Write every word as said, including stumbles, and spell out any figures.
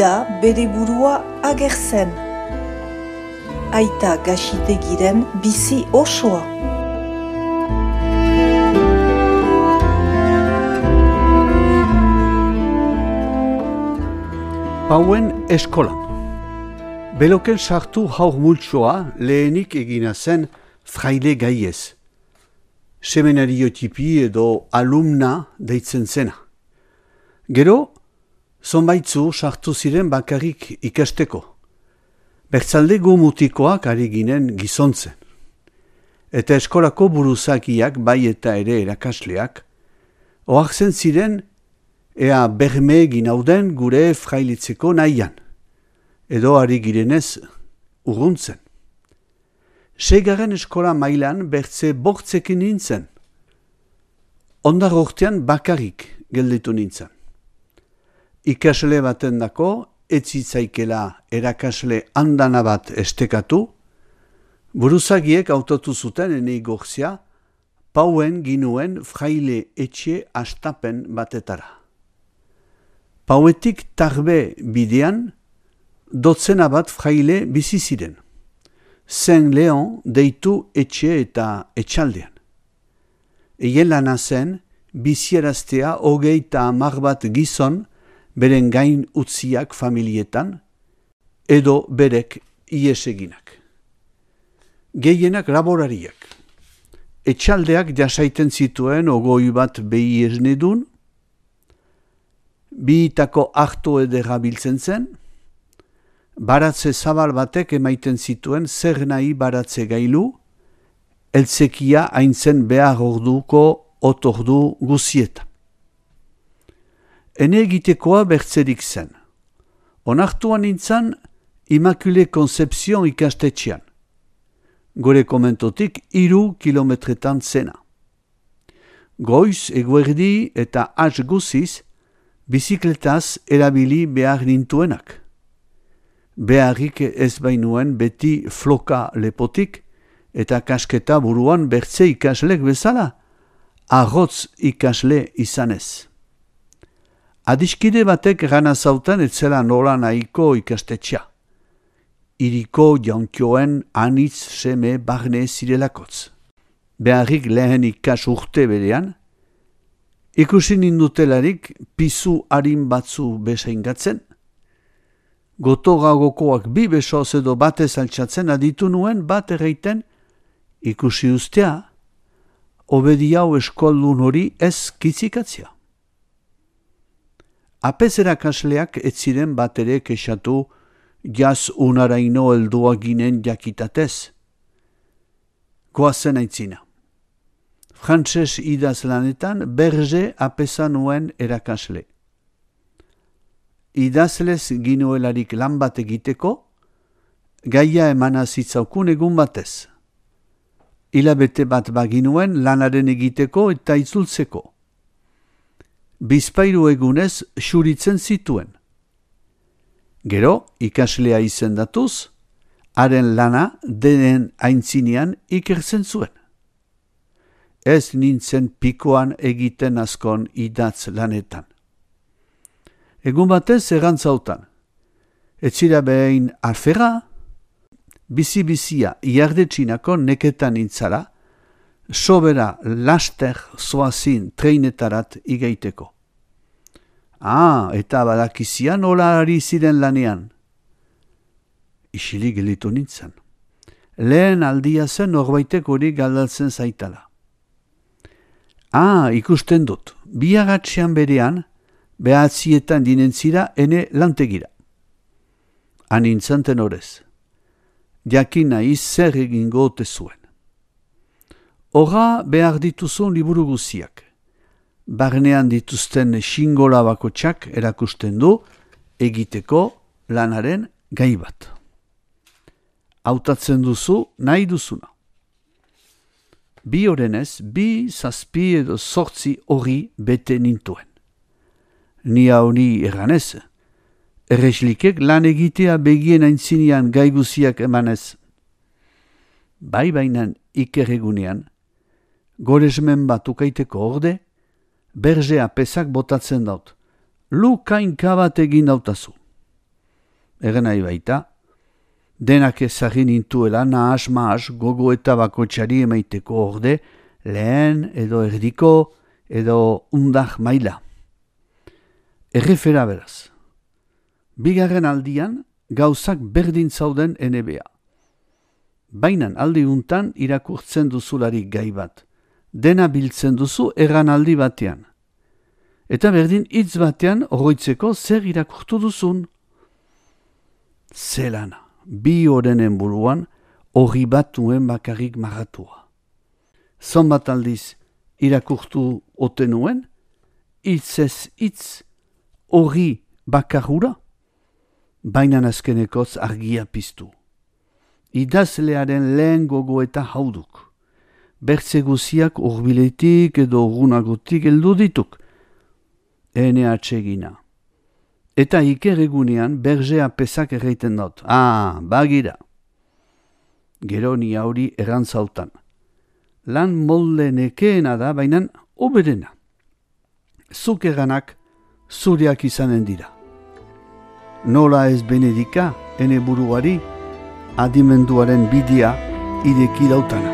da bere burua agertzen. Aita Gaxitegiren bizi osoa. Pauen eskolan. Beloken sartu haur multsoa lehenik egina zen fraile gaiez. Seminariotipi edo alumna deitzen zena. Gero, zonbaitzu sartu ziren bakarrik ikasteko. Bertzalde gumutikoak ari ginen gizontzen. Eta eskolako buruzakiak bai eta ere erakasleak, ohartzen ziren ea berme egin hauden gure frailitzeko nahian, edo ari girenez urruntzen. Seigarren eskola mailan bertze bortzekin nintzen. Ondar urtean bakarrik gelditu nintzen. Ikasle baten dako, etzitzaikela erakasle handana bat estekatu, buruzagiek autotu zuten enei gorzia, Pauen ginuen fraile etxe astapen batetara. Pauetik tarbe bidean, dotzena bat fraile bizi ziren. Saint Leon deitu etxe eta etxaldean. Eien lana zen, bizieraztea hogeita hamar bat gizon beren gain utziak familietan, edo berek ieseginak. Gehienak laborariak. Etxaldeak jasaiten zituen ogoi bat behi esnedun, biitako harto edera biltzen zen, baratze zabal batek emaiten zituen zer nahi baratze gailu, eltzekia haintzen behar orduko otordu guzietan. Ene egitekoa bertzerik zen. Onartuan nintzen Immaculée Conception ikastetxean. Gore komentotik hiru kilometretan zena. Goiz, eguerdi eta has guziz, bizikletaz erabili behar nintuenak. Beharrik ez bainuen beti floka lepotik eta kasketa buruan bertze ikaslek bezala, arrotz ikasle izanez. Adiskide batek gana zautan etzela nola nahiko ikastetxea. Iriko jaunkioen anitz seme barne zirelakotz. Beharrik lehen ikas urte berean, ikusi nindutelarik pizu harin batzu besaingatzen, gotogagokoak bi besoz edo batez altxatzen aditu nuen bat erreiten ikusi ustea, obedi hau eskoldun hori ez kitzikatzea. Apez erakasleak ez ziren bat ere kexatu jaz unaraino heldua ginen jakitatez. Goazen aitzina. Frantses idaz lanetan berge apeza nuen erakasle. Idazlez ginuelarik lan bat egiteko, gaia emana zitzaukun egun batez. Hilabete bat baginuen lanaren egiteko eta itzultzeko. Bizpairu egunez xuritzen zituen. Gero, ikaslea izendatuz, haren lana denen aintzinean ikertzen zuen. Ez nintzen pikoan egiten askon idatz lanetan. Egun batez egantzautan. Etzira behin alfera, bizi-bizia iardetxinako neketan intzara, sobera laster zoazin treinetarat igaiteko. Ah, eta badakizian nola ari ziren lanean. Isilik gelitu nintzen. Lehen aldia zen norbaitek hori galdatzen zaitala. Ah, ikusten dut, biagatxean berean, behatzietan dinentzira ene lantegira. Hanintzen tenorez. Jakin nahi zer egingo ote zuen. Horra behar dituzun liburu guziak. Barnean dituzten xingola bakotxak erakusten du egiteko lanaren gai bat. Hautatzen duzu nahi duzuna. Bi orenez, bi zazpi edo sortzi hori bete nintuen. Ni hauni erganez, erreslikek lan egitea begien aintzinean gai guziak emanez. Bai bainan ikerregunean, goresmen bat ukaiteko orde, berzea pesak botatzen daut. Lu kainka bat egin dautazu. egen nahi baita. Denak ezagin intuela nahas mahas gogo eta bakotxari emaiteko orde, lehen edo erdiko edo undak maila. Errefera beraz. Bigarren aldian gauzak berdin zauden N B A. Bainan aldi untan irakurtzen duzularik gai bat. Dena biltzen duzu erran aldi batean. Eta berdin hitz batean oroitzeko zer irakurtu duzun. Zelana, bi horrenen buruan hori bat nuen bakarrik marratua. Zonbat aldiz irakurtu ote nuen, hitz ez hitz hori bakarura, bainan azkenekoz argia piztu. Idazlearen lehen gogo eta hauduk. Bertze guziak urbiletik edo urgunagotik heldu dituk. Ene atsegina. Eta iker egunean berzea pesak erreiten dut. Ah, bagira. Gero ni hauri errantzautan. Lan molde nekeena da, bainan oberena. Zuk eranak zuriak izanen dira. Nola ez benedika, ene buruari, adimenduaren bidea ideki dautana.